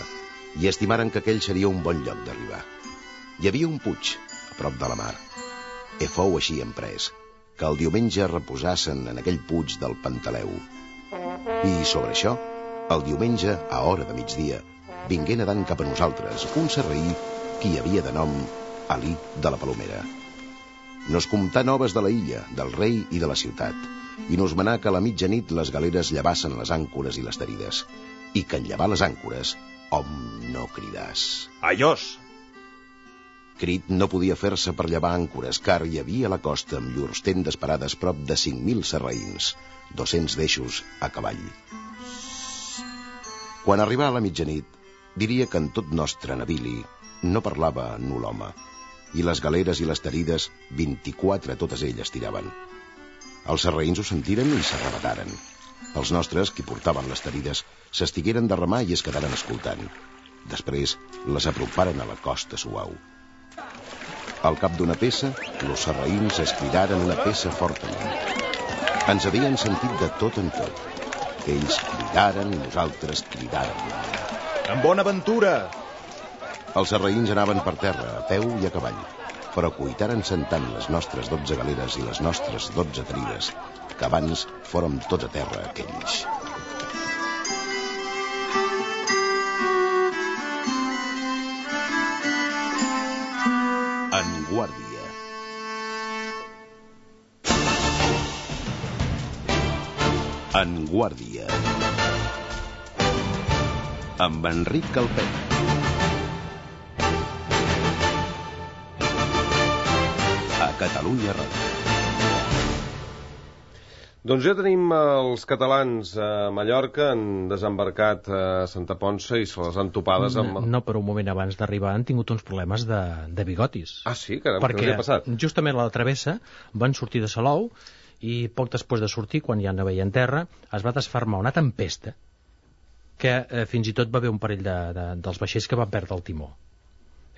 i estimaren que aquell seria un bon lloc d'arribar. Hi havia un puig a prop de la mar. E fou així emprès que el diumenge reposassen en aquell puig del Pantaleu. I sobre això, el diumenge, a hora de migdia, vingué nedant cap a nosaltres un sarraí que hi havia de nom Alí de la Palomera. Nos comptà noves de la illa, del rei i de la ciutat, i nos manà que a la mitjanit les galeres llevassen les àncores i les derides, i que en llevar les àncores, hom no cridàs. Aiós! Crit no podia fer-se per llevar àncores, car hi havia a la costa amb llurs tendes parades prop de cinc mil sarraïns, dos-cents d'eixos a cavall. Quan arribà a la mitjanit, diria que en tot nostre navili no parlava nu l'home, i les galeres i les tarides, vint-i-quatre totes elles tiraven. Els sarraïns ho sentiren i s'arrebataren. Els nostres, qui portaven les tarides, s'estigueren de remar i es quedaren escoltant. Després les aproparen a la costa suau. Al cap d'una peça, los sarraïns es cridaren una peça fortament. Ens havien sentit de tot en tot. Ells cridaren i nosaltres cridàrem. En bona aventura! Els sarraïns anaven per terra, a peu i a cavall, però cuitaren sentant les nostres dotze galeres i les nostres dotze tarides, que abans fórem tots a terra aquells. En guàrdia. En guàrdia. Amb Enric Calpet. A Catalunya Ràdio. Doncs ja tenim els catalans a Mallorca, han desembarcat a Santa Ponça i se les han topades amb... No, no, però un moment abans d'arribar han tingut uns problemes de, de bigotis. Ah, sí? Caram, perquè què els ha passat? Justament a la travessa van sortir de Salou i poc després de sortir, quan ja no veien terra, es va desfermar una tempesta que eh, fins i tot va haver un parell de, de, dels vaixells que van perdre el timó.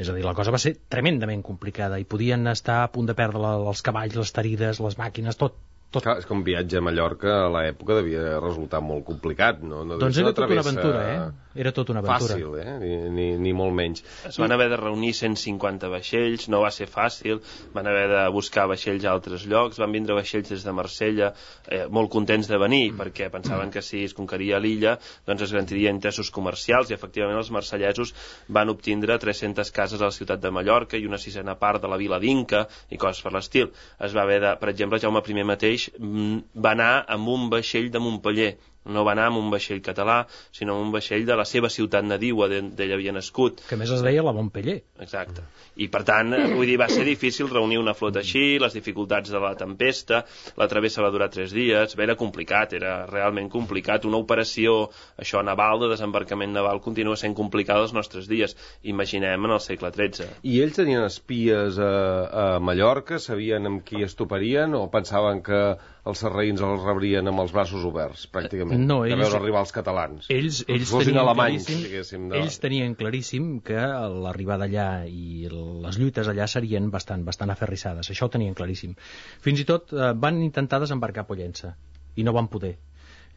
És a dir, la cosa va ser tremendament complicada i podien estar a punt de perdre la, els cavalls, les tarides, les màquines, tot. Tot. Clar, és que un viatge a Mallorca a l'època devia resultar molt complicat, no? no doncs era tota una aventura, eh? Era tota una aventura. Fàcil, eh? Ni, ni, ni molt menys. Es van haver de reunir cent cinquanta vaixells, no va ser fàcil, van haver de buscar vaixells a altres llocs, van vindre vaixells des de Marsella, eh, molt contents de venir, perquè pensaven que si es conqueria l'illa, doncs es garantirien interessos comercials, i efectivament els marsellesos van obtindre tres-centes cases a la ciutat de Mallorca i una sisena part de la vila d'Inca i coses per l'estil. Es va haver de, per exemple, Jaume I mateix va anar amb un vaixell de Montpeller, no va anar amb un vaixell català, sinó amb un vaixell de la seva ciutat nadiua, d'ell havia nascut. Que més es deia la Montpeller. Exacte. I per tant, vull dir, va ser difícil reunir una flota així, les dificultats de la tempesta, la travessa va durar tres dies, era complicat, era realment complicat. Una operació, això, naval, de desembarcament naval, continua sent complicada als nostres dies. Imaginem en el segle tretze. I ells tenien espies a, a Mallorca? Sabien amb qui es toparien o pensaven que els sarraïns els rebrien amb els braços oberts, pràcticament, no, ells, de veure arribar els catalans? Ells, ells, tenien, alemanys, claríssim, de... ells tenien claríssim que l'arribada allà i les lluites allà serien bastant, bastant aferrissades, això ho tenien claríssim. Fins i tot eh, van intentar desembarcar a Pollença i no van poder.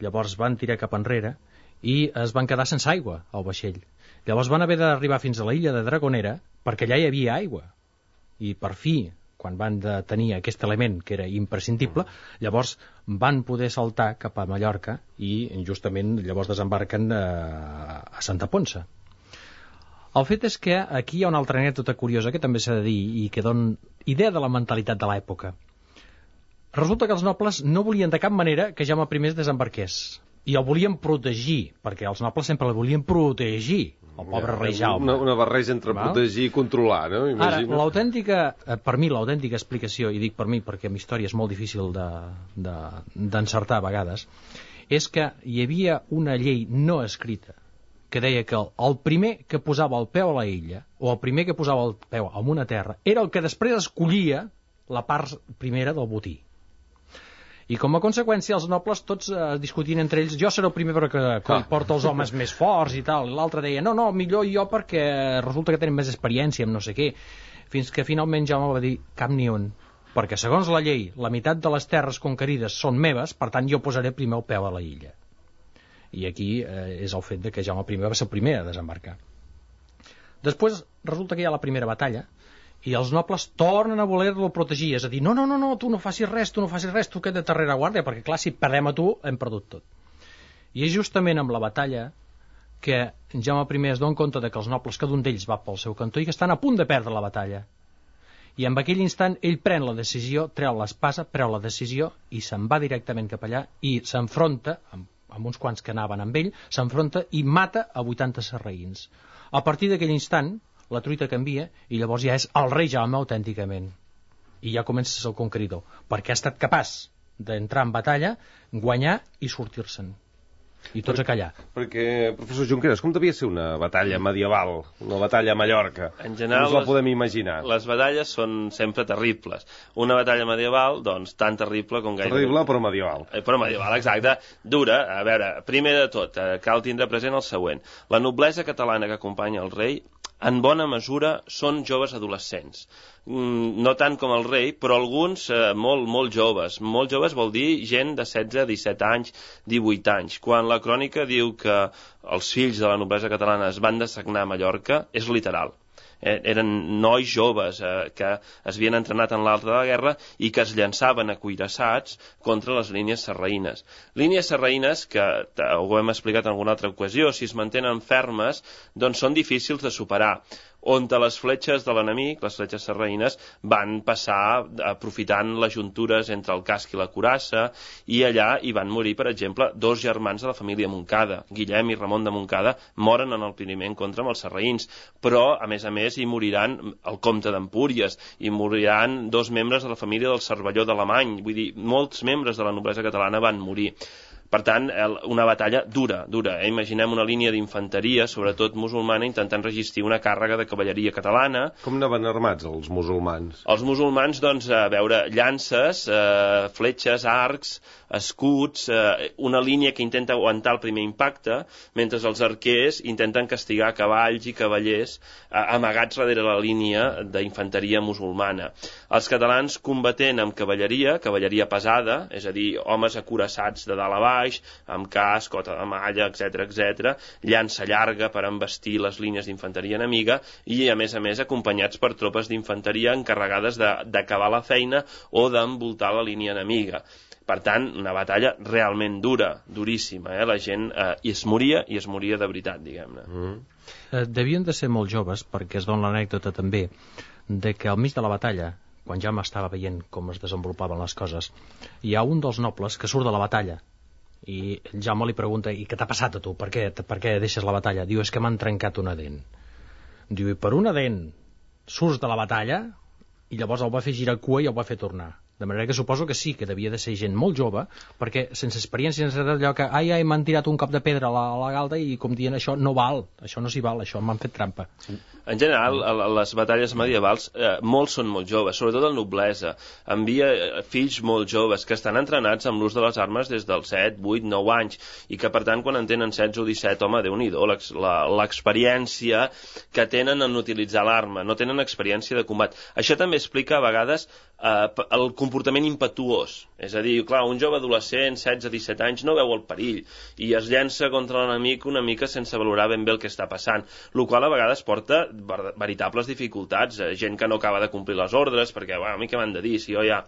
Llavors van tirar cap enrere i es van quedar sense aigua al vaixell. Llavors van haver d'arribar fins a la illa de Dragonera perquè allà hi havia aigua. I per fi, quan van de tenir aquest element que era imprescindible, llavors van poder saltar cap a Mallorca i justament llavors desembarquen a, a Santa Ponça. El fet és que aquí hi ha una altra anècdota curiosa que també s'ha de dir i que dona idea de la mentalitat de l'època. Resulta que els nobles no volien de cap manera que Jaume I es desembarqués i el volien protegir, perquè els nobles sempre el volien protegir, el pobre rei Jaume. Una, una barreja entre Val? protegir i controlar, no? Imagina. Ara, l'autèntica, per mi, l'autèntica explicació, i dic per mi perquè amb història és molt difícil d'encertar de, de, a vegades, és que hi havia una llei no escrita que deia que el, el primer que posava el peu a la illa, o el primer que posava el peu en una terra, era el que després escollia la part primera del botí. I com a conseqüència els nobles tots eh, discutien entre ells, jo seré el primer perquè ah. porta els homes més forts i tal, i l'altre deia, no, no, millor jo perquè resulta que tenen més experiència amb no sé què, fins que finalment Jaume va dir, cap ni un, perquè segons la llei, la meitat de les terres conquerides són meves, per tant jo posaré primer el peu a la illa. I aquí eh, és el fet de que Jaume I va ser el primer a desembarcar. Després resulta que hi ha la primera batalla, i els nobles tornen a voler-lo protegir, és a dir, no, no, no, no, tu no facis res, tu no facis res, tu queda't darrere guàrdia, perquè clar, si perdem a tu, hem perdut tot. I és justament amb la batalla que Jaume I es dona compte de que els nobles, cada un d'ells va pel seu cantó i que estan a punt de perdre la batalla. I en aquell instant ell pren la decisió, treu l'espasa, treu la decisió i se'n va directament cap allà i s'enfronta, amb, amb uns quants que anaven amb ell, s'enfronta i mata a vuitanta sarraïns. A partir d'aquell instant, la truita canvia i llavors ja és el rei Jaume autènticament. I ja comença el conqueridor, perquè ha estat capaç d'entrar en batalla, guanyar i sortir-se'n. I tots a callar. Perquè, professor Junqueras, com devia ser una batalla medieval, una batalla a Mallorca? En general, no us la podem imaginar. Les, les batalles són sempre terribles. Una batalla medieval, doncs, tan terrible com gaire... Terrible, però medieval. Eh, però medieval, exacte. Dura. A veure, primer de tot, eh, cal tindre present el següent. La noblesa catalana que acompanya el rei, en bona mesura, són joves adolescents. Mm, no tant com el rei, però alguns eh, molt, molt joves. Molt joves vol dir gent de setze, disset anys, divuit anys. Quan la crònica diu que els fills de la noblesa catalana es van dessagnar a Mallorca, és literal. Eh, eren nois joves eh, que es havien entrenat en l'art de la guerra i que es llançaven a cuirassats contra les línies sarraïnes. Línies sarraïnes que, ho hem explicat en alguna altra ocasió, si es mantenen fermes, doncs són difícils de superar, on les fletxes de l'enemic, les fletxes sarraïnes, van passar aprofitant les juntures entre el casc i la curassa, i allà hi van morir, per exemple, dos germans de la família Montcada. Guillem i Ramon de Montcada moren en el primer encontre amb els sarraïns, però, a més a més, hi moriran el comte d'Empúries, hi moriran dos membres de la família del Cervelló d'Alemany, vull dir, molts membres de la noblesa catalana van morir. Per tant, una batalla dura, dura. Eh? Imaginem una línia d'infanteria, sobretot musulmana, intentant resistir una càrrega de cavalleria catalana. Com anaven armats els musulmans? Els musulmans, doncs, a veure, llances, eh, fletxes, arcs, escuts, eh, una línia que intenta aguantar el primer impacte, mentre els arquers intenten castigar cavalls i cavallers eh, amagats darrere la línia d'infanteria musulmana. Els catalans combatent amb cavalleria, cavalleria pesada, és a dir, homes acurassats de dalt a baix, amb casc, cota de malla, etcètera, etcètera, llança llarga per embestir les línies d'infanteria enemiga i, a més a més, acompanyats per tropes d'infanteria encarregades d'acabar la feina o d'envoltar la línia enemiga. Per tant, una batalla realment dura, duríssima, eh? La gent eh, i es moria, i es moria de veritat, diguem-ne. Mm. Eh, devien de ser molt joves, perquè es dona l'anècdota també, de que al mig de la batalla, quan ja m'estava veient com es desenvolupaven les coses, hi ha un dels nobles que surt de la batalla, i Jaume li pregunta, i què t'ha passat a tu? Per què, per què deixes la batalla? Diu, és que m'han trencat una dent. Diu, i per una dent surts de la batalla? I llavors el va fer girar cua i el va fer tornar. De manera que suposo que sí, que devia de ser gent molt jove, perquè sense experiència, sense allò que, ai, ai, m'han tirat un cop de pedra a la, a la galta i com dient, això no val, això no s'hi val, això m'han fet trampa. En general, a les batalles medievals, eh, molts són molt joves, sobretot el noblesa. Envia fills molt joves que estan entrenats amb l'ús de les armes des dels set, vuit, nou anys, i que per tant, quan en tenen setze o disset, home, Déu-n'hi-do, l'experiència que tenen en utilitzar l'arma, no tenen experiència de combat. Això també explica a vegades eh, el comportament impetuós. És a dir, clar, un jove adolescent, setze a disset anys, no veu el perill i es llença contra l'enemic una mica sense valorar ben bé el que està passant, el qual a vegades porta veritables dificultats, gent que no acaba de complir les ordres, perquè, bueno, a mi què m'han de dir, si jo ja...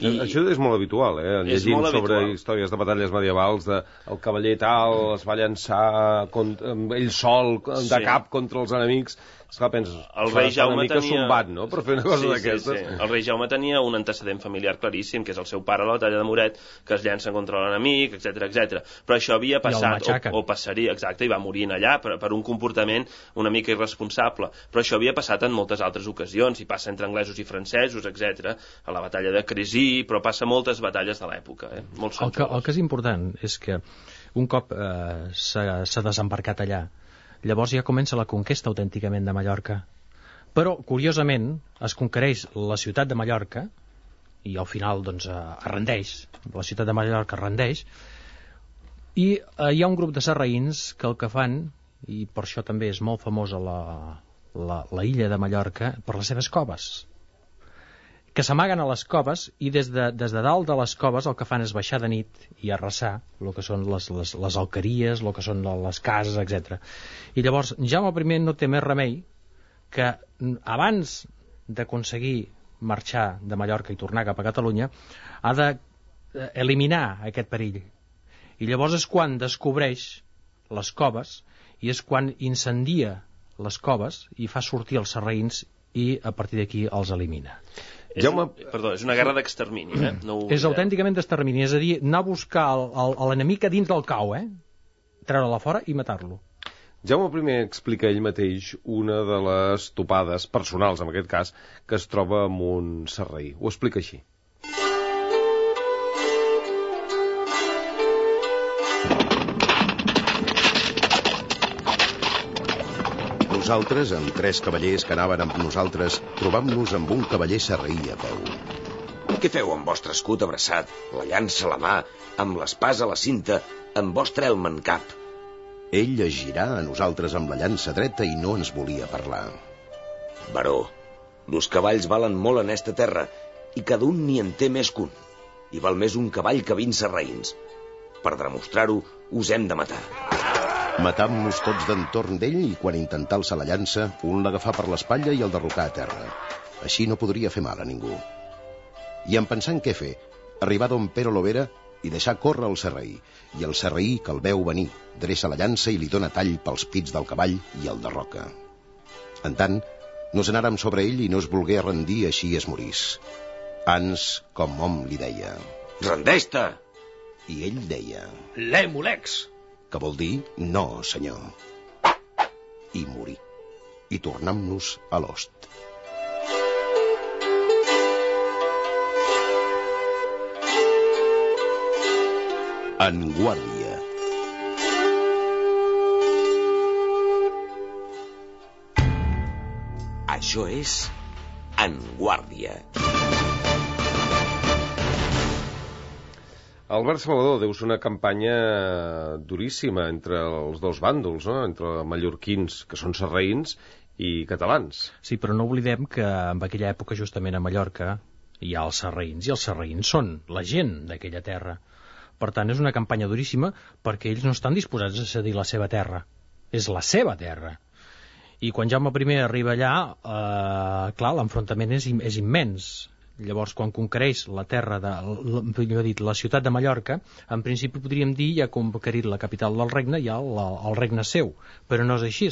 I... Això és molt habitual, eh? Llegim sobre habitual. Històries de batalles medievals, de el cavaller tal es va llançar contra, ell sol, de sí. cap contra els enemics. Esclar, penses, el rei Jaume tenia... sombat, no?, per fer una cosa sí, d'aquestes. Sí, sí. El rei Jaume tenia un antecedent familiar claríssim, que és el seu pare a la batalla de Moret, que es llança contra l'enemic, etcètera, etcètera. Però això havia passat, o, o passaria, exacte, i va morir allà per, per un comportament una mica irresponsable. Però això havia passat en moltes altres ocasions, i passa entre anglesos i francesos, etcètera, a la batalla de Crécy, però passa a moltes batalles de l'època. Eh? Molts el, que, el que és important és que un cop eh, s'ha desembarcat allà, llavors ja comença la conquesta autènticament de Mallorca. Però, curiosament, es conquereix la ciutat de Mallorca i al final doncs, es rendeix, la ciutat de Mallorca es rendeix, i eh, hi ha un grup de sarraïns que el que fan, i per això també és molt famosa la, la, la illa de Mallorca, per les seves coves, que s'amaguen a les coves i des de, des de dalt de les coves el que fan és baixar de nit i arrasar el que són les, les, les alqueries, el que són les cases, etcètera. I llavors Jaume primer no té més remei que abans d'aconseguir marxar de Mallorca i tornar cap a Catalunya ha d'eliminar aquest perill. I llavors és quan descobreix les coves i és quan incendia les coves i fa sortir els sarraïns i a partir d'aquí els elimina. És, Jaume... Perdó, és una guerra d'extermini, eh? No ho... És autènticament d'extermini, és a dir, anar a buscar l'enemic a dins del cau, eh? Treure-la fora i matar-lo. Jaume primer explica ell mateix una de les topades personals, en aquest cas, que es troba amb un sarraí. Ho explica així. Nosaltres, amb tres cavallers que anaven amb nosaltres, trobam-nos amb un cavaller sarraí a peu. Què feu amb vostre escut abraçat, la llança a la mà, amb l'espasa a la cinta, amb vostre elm en cap? Ell es girà a nosaltres amb la llança dreta i no ens volia parlar. Baró, los cavalls valen molt en esta terra i cada un n'hi en té més que un. I val més un cavall que vint sarraïns. Per demostrar-ho, us hem de matar. Matam-nos tots d'entorn d'ell i quan intentà alçar la llança, un l'agafà per l'espatlla i el derrocà a terra. Així no podria fer mal a ningú. I en pensant què fer, arribà don Pero Lovera i deixà córrer el sarraí. I el sarraí, que el veu venir, dreça la llança i li dóna tall pels pits del cavall i el derroca. En tant, nos anàrem sobre ell i no es volgué rendir, així es morís. Ans, com hom li deia. Rendeix-te! I ell deia... L'Emulex! Que vol dir, no, senyor. I morí. I tornam-nos a l'host. En guàrdia. Això és En guàrdia. Albert Salvador, deus una campanya duríssima entre els dos bàndols, no? Entre mallorquins, que són sarraïns, i catalans. Sí, però no oblidem que en aquella època, justament a Mallorca, hi ha els sarraïns, i els sarraïns són la gent d'aquella terra. Per tant, és una campanya duríssima perquè ells no estan disposats a cedir la seva terra. És la seva terra. I quan Jaume I arriba allà, eh, clar, l'enfrontament és, és immens. Llavors, quan conquereix la terra, de, la, dit, la ciutat de Mallorca, en principi podríem dir ja ha conquerit la capital del regne, ja el, el regne seu, però no és així,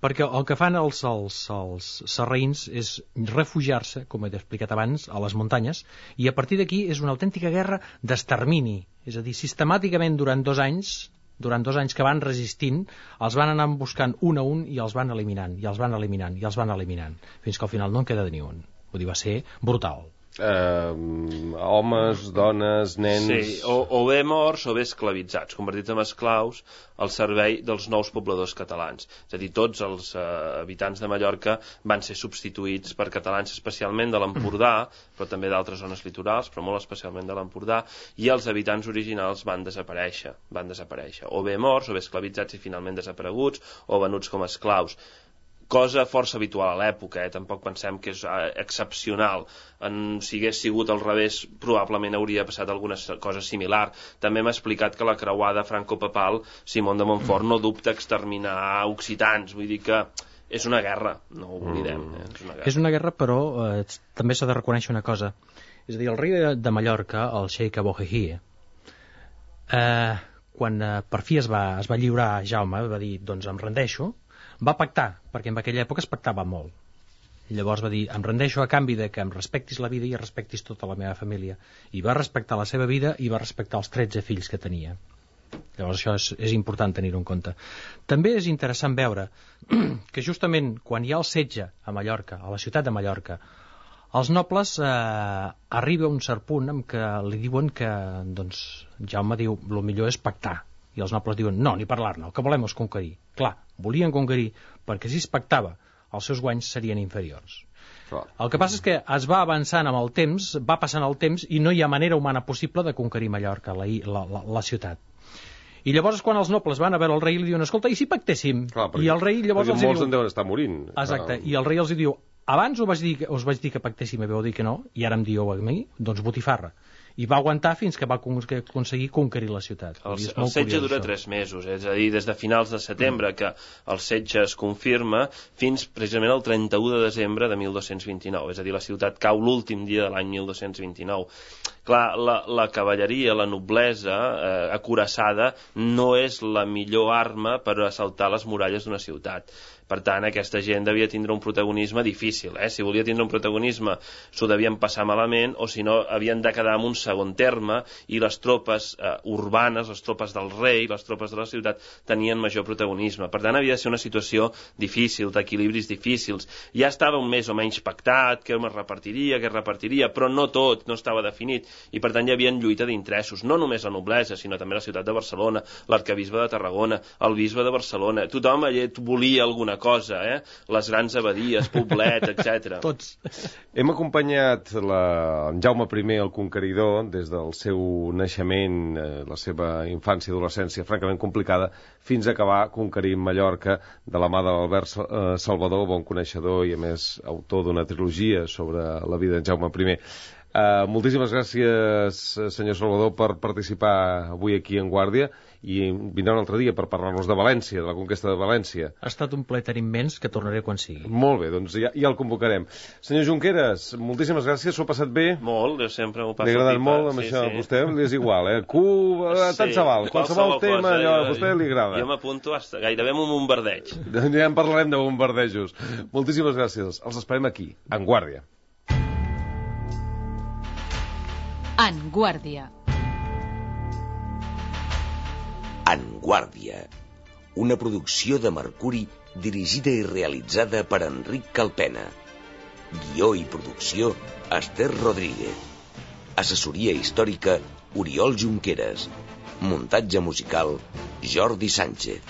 perquè el que fan els, els, els sarraïns és refugiar-se, com he explicat abans, a les muntanyes, i a partir d'aquí és una autèntica guerra d'extermini, és a dir, sistemàticament durant dos anys, durant dos anys que van resistint, els van anar buscant un a un i els van eliminant, i els van eliminant, i els van eliminant, fins que al final no en queda ni un. Vull dir, va ser brutal. Uh, homes, dones, nens... Sí, o, o bé morts o bé esclavitzats, convertits en esclaus al servei dels nous pobladors catalans. És a dir, tots els uh, habitants de Mallorca van ser substituïts per catalans, especialment de l'Empordà, però també d'altres zones litorals, però molt especialment de l'Empordà, i els habitants originals van desaparèixer, van desaparèixer. O bé morts, o bé esclavitzats i finalment desapareguts, o venuts com a esclaus. Cosa força habitual a l'època, eh? Tampoc pensem que és eh, excepcional. En, si hagués sigut al revés, probablement hauria passat alguna cosa similar. També m'ha explicat que la creuada franco-papal, Simón de Montfort, no dubta exterminar occitans. Vull dir que és una guerra, no ho oblidem. Eh? És una guerra, és una guerra però eh, també s'ha de reconèixer una cosa. És a dir, el rei de Mallorca, el Sheikh Abu Hajji, eh, quan eh, per fi es va, es va lliurar a Jaume, va dir, doncs em rendeixo, va pactar, perquè en aquella època es pactava molt. Llavors va dir, em rendeixo a canvi de que em respectis la vida i respectis tota la meva família. I va respectar la seva vida i va respectar els tretze fills que tenia. Llavors això és, és important tenir-ho en compte. També és interessant veure que justament quan hi ha el setge a Mallorca, a la ciutat de Mallorca, els nobles eh, arriba a un cert punt en què li diuen que, doncs, Jaume diu, el millor és pactar. I els nobles diuen, no, ni parlar-ne, el que volem és conquerir. Clar, volien conquerir perquè si es pactava els seus guanys serien inferiors. Clar. El que passa és que es va avançant amb el temps, va passant el temps i no hi ha manera humana possible de conquerir Mallorca, la, la, la, la ciutat. I llavors quan els nobles van a veure el rei li diuen, escolta, i si pactéssim? Clar, perquè, I el rei llavors els molts diu... en deuen estar morint. Exacte, Clar. i el rei els diu, abans us vaig dir, us vaig dir que pactéssim i vau dir que no, i ara em dieu a mi, doncs botifarra. I va aguantar fins que va aconseguir conquerir la ciutat. El, el setge dura tres mesos, eh? És a dir, des de finals de setembre que el setge es confirma fins precisament el trenta-u de desembre de mil dos-cents vint-i-nou, és a dir, la ciutat cau l'últim dia de l'any mil dos-cents vint-i-nou. Clar, la, la cavalleria, la noblesa eh, acoraçada no és la millor arma per assaltar les muralles d'una ciutat. Per tant, aquesta gent devia tindre un protagonisme difícil. Eh? Si volia tindre un protagonisme, s'ho devien passar malament, o si no, havien de quedar en un segon terme, i les tropes eh, urbanes, les tropes del rei, les tropes de la ciutat, tenien major protagonisme. Per tant, havia de ser una situació difícil, d'equilibris difícils. Ja estava un més o menys pactat, què es repartiria, què es repartiria, però no tot, no estava definit. i per tant hi havia lluita d'interessos, no només la noblesa, sinó també la ciutat de Barcelona, l'arcabisbe de Tarragona, el bisbe de Barcelona, tothom allà volia alguna cosa, eh? Les grans abadies, Poblet, etcètera. Tots. Hem acompanyat la... en Jaume primer, el Conqueridor, des del seu naixement, eh, la seva infància i adolescència francament complicada, fins a acabar conquerint Mallorca de la mà d'Albert Salvador, bon coneixedor i, a més, autor d'una trilogia sobre la vida d'en Jaume primer. Uh, moltíssimes gràcies, senyor Salvador, per participar avui aquí en Guàrdia, i vindrà un altre dia per parlar-nos de València, de la conquesta de València. Ha estat un plaer immens, que tornaré quan sigui. Molt bé, doncs ja, ja el convocarem. Senyor Junqueras, moltíssimes gràcies, s'ho ha passat bé? Molt, jo sempre m'ho passo pipa. Li ha agradat pipa. molt, amb sí, això, sí. a vostè li és igual, eh? Cuba, sí, tant se val, qualsevol tema, cosa, allò, jo, a vostè li agrada. Jo m'apunto hasta gairebé amb un bombardeig. Ja en parlarem de bombardejos. Moltíssimes gràcies, els esperem aquí, en Guàrdia. En Guàrdia. En Guàrdia, una producció de Mercuri dirigida i realitzada per Enric Calpena. Guió i producció, Esther Rodríguez. Assessoria històrica, Oriol Junqueras. Muntatge musical, Jordi Sánchez.